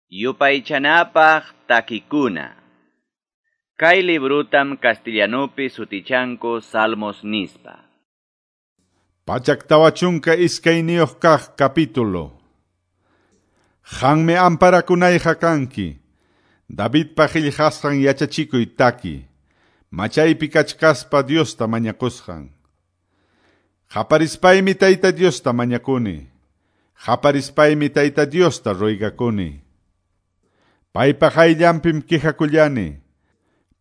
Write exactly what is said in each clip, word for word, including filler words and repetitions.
Yupaychanapaq takikuna. Kay librutam castellanupi sutichanku Salmos nispa. Pachak tawa chunka iskayniyuq kaq capítulo. Qanmi amparakunayqa kanki. Davidpa qillqasqan yachachikuy taki. Machaypi kachkaspa Diosta mañakusqan. Qaparispaymi Tayta Diosta mañakuni. Qaparispaymi Tayta Diosta ruygakuni. Paypa qayllanpim quejakullani.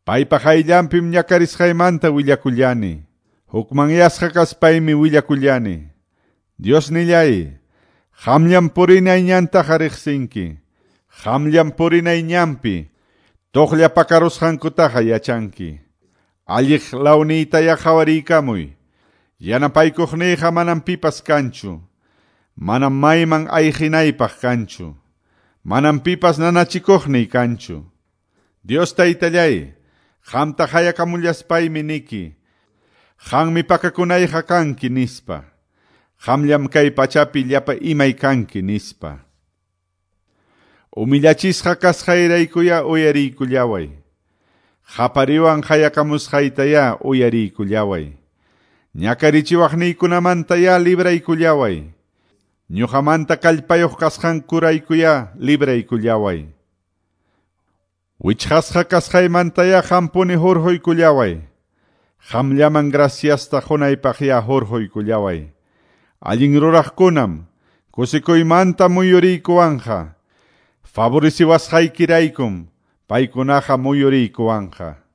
Paypa qayllanpim ñakarisqaymanta willakullani. Hukmanyasqa kaspaymi willakullani. Diosnillay, qamllam purinay ñantaqa riqsinki. Qamllam purinay ñanpi, tuqlla pakarusqankutaqa yachanki. Alliq lawniytaya qhawariykamuy. Yanapaykuqniyqa manam pipas kanchu. Manam mayman ayqinaypaq kanchu. Manam pipas nanachikuqniy kanchu. Dios Taytallay, qamta hayakamullaspaymi niki. Qanmi pakakunayqa kanki nispa. Qamllam kay pachapi llapa imay kanki nispa. Humillachisqa kasqayraykuya uyariykullaway. Qapariwan hayakamusqaytaya uyariykullaway. Ñakarichiwaqniykunamantaya libraykullaway. Ñuqamanta kallpayuq kasqankuraykuya libraykullaway. Wichqasqa kasqaymantaya qampuni hurquykullaway. Qamllaman graciasta qunaypaqya hurquykullaway. Allin ruraqkunam kusikuymanta muyuriykuwanqa. Favoreciwasqaykiraykum paykunaqa muyuriykuwanqa.